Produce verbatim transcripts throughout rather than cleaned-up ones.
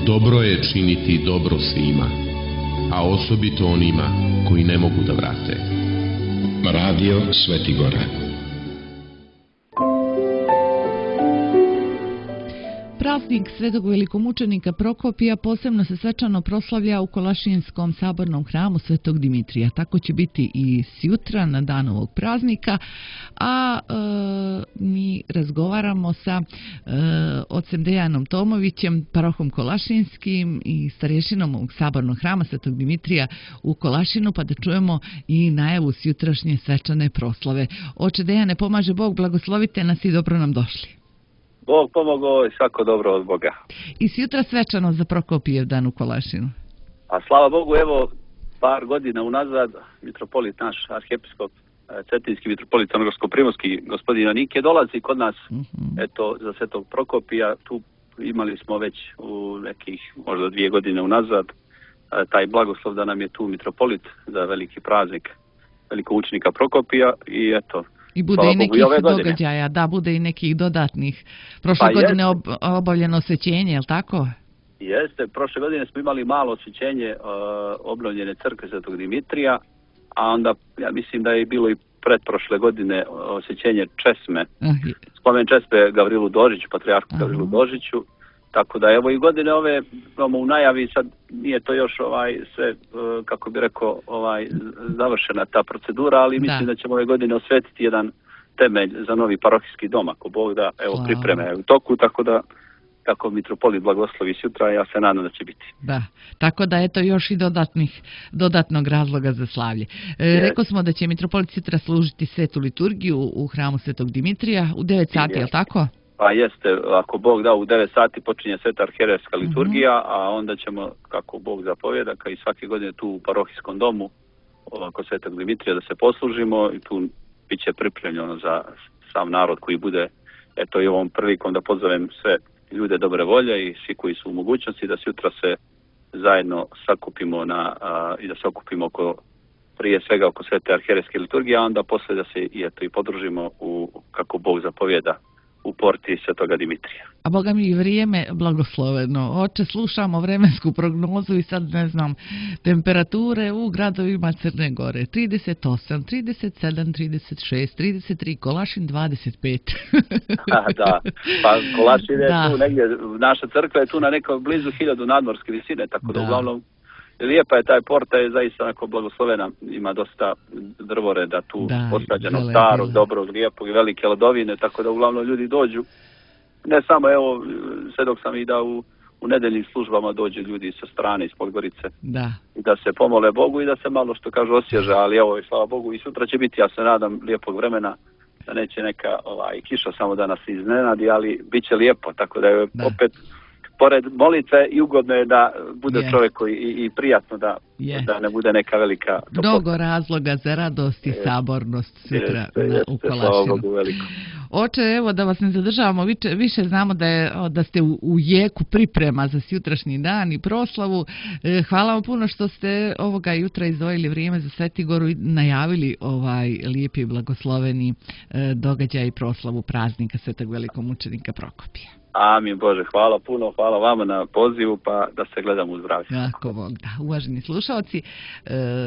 Dobro je činiti dobro svima, a osobito onima koji ne mogu da vrate. Radio Svetigora. Praznik Svetog velikomučenika Prokopija posebno se svečano proslavlja u Kolašinskom sabornom hramu Svetog Dimitrija. Tako će biti i sjutra na dan ovog praznika, a e, mi razgovaramo sa e, ocem Dejanom Tomovićem, parohom Kolašinskim i starješinom ovog sabornog hrama Svetog Dimitrija u Kolašinu, pa da čujemo i najavu sjutrašnje svečane proslave. Oče Dejane, pomaže Bog, blagoslovite nas i dobro nam došli. Bog pomogao i svako dobro od Boga. I sutra svečano za Prokopijev dan u Kolašinu. A slava Bogu, evo, par godina unazad, mitropolit naš, arhijepiskop, cetinski mitropolit Crnogorsko-primorski, gospodin Anike, dolazi kod nas, uh-huh. eto, za Svetog Prokopija. Tu imali smo već u nekih, možda dvije godine unazad, taj blagoslov da nam je tu mitropolit za veliki praznik velikoučenika Prokopija i eto, I bude i nekih događaja, da, bude i nekih dodatnih. Prošle pa godine ob, obavljeno osvećenje, je li tako? Jeste, prošle godine smo imali malo osvećenje uh, obnovljene crkve Svetog Dimitrija, a onda ja mislim da je bilo i pretprošle godine osvećenje česme, uh, spomen česme Gavrilu Dožiću, patrijarhu uh-huh. Gavrilu Dožiću, tako da evo i godine ove imamo u najavi, sad nije to još ovaj sve, uh, kako bi rekao, ovaj završena ta procedura, ali mislim da, da ćemo ove godine osvetiti jedan temelj za novi parohijski dom, ako Bog da, evo Slava. Pripreme u toku, tako da kako mitropolit blagoslovi sutra, ja se nadam da će biti. Da, tako da eto još i dodatnih, dodatnog razloga za slavlje. E, yes. Rekao smo da će mitropolit sutra služiti svetu liturgiju u hramu Svetog Dimitrija u devet sati, yes. je li tako? Pa jeste, ako Bog da, u devet sati počinje sveta arhijerejska liturgija, uh-huh. a onda ćemo, kako Bog zapovjeda, kao i svake godine tu u parohijskom domu oko Svetog Dimitrija da se poslužimo i tu bit će pripremljeno za sam narod koji bude, eto i ovom prilikom da pozovem sve ljude dobre volje i svi koji su u mogućnosti da sutra se zajedno sakupimo na, a, i da se okupimo oko, prije svega oko svete arhijerejske liturgije, a onda posle da se i, eto, i podružimo u, kako Bog zapovjeda, u porti Svetoga Dimitrija. A Boga mi vrijeme blagosloveno. Oče, slušamo vremensku prognozu i sad ne znam, temperature u gradovima Crne Gore. trideset osam, trideset sedam, trideset šest, trideset tri, Kolašin dvadeset pet. A, da, pa Kolašin je da. tu negdje, naša crkva je tu na nekoj blizu hiljadu nadmorske visine, tako da, da uglavnom lijepa je taj porta, je zaista onako blagoslovena, ima dosta drvoreda tu da, posađeno, starog, dobrog, lijepog i velike ledovine, tako da uglavnom ljudi dođu. Ne samo, evo, sve dok sam i da u, u nedeljnim službama dođu ljudi sa strane iz Podgorice. Da. I da se pomole Bogu i da se malo što kažu osježa, ali evo, i slava Bogu, i sutra će biti, ja se nadam, lijepog vremena, da neće neka ovaj, kiša samo da nas iznenadi, ali bit će lijepo, tako da je da. opet pored molitve i ugodno je da bude yeah. čovjek koji i, i prijatno da, yeah. da ne bude neka velika toplota. Mnogo razloga za radost i yes. sabornost sutra jeste, na, jeste, u Kolašinu. Oče, evo da vas ne zadržavamo, više, više znamo da, je, da ste u, u jeku priprema za sutrašnji dan i proslavu. E, hvala vam puno što ste ovoga jutra izdvojili vrijeme za Svetigoru i najavili ovaj lijepi i blagosloveni e, događaj i proslavu praznika Svetog velikomučenika Prokopija. Amin Bože, hvala puno, hvala vama na pozivu, pa da se gledamo u zdravlje. Tako Bog, da. Uvaženi slušalci,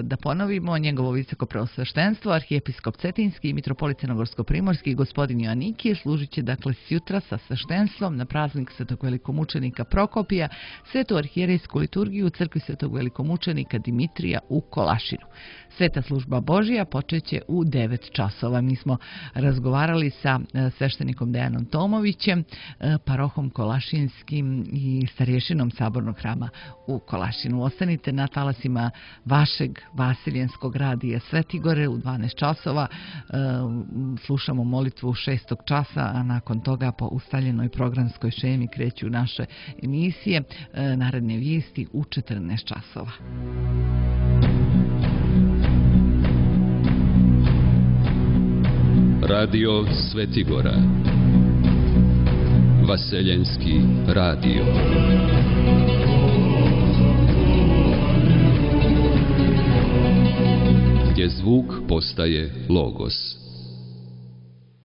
da ponovimo njegovo visoko preosveštenstvo, arhijepiskop Cetinski i mitropolit Crnogorsko-primorski, gospodin Joannikije, služit će dakle sutra sa sveštenstvom na praznik Svetog velikomučenika Prokopija, svetu arhijerejsku liturgiju u crkvi Svetog velikomučenika Dimitrija u Kolašinu. Sveta služba Božija počeće u devet časova. Mi smo razgovarali sa sveštenikom Dejanom Tomovićem, parohom Kolašinskim i starješinom sabornog hrama u Kolašinu. Ostanite na talasima vašeg Vasiljenskog radija Svetigore u dvanaest časova. Slušamo molitvu šestog časa, a nakon toga po ustaljenoj programskoj šemi kreću naše emisije. Naredne vijesti u četrnaest časova. Radio Svetigora, Vaseljenski radio. Gdje zvuk postaje logos.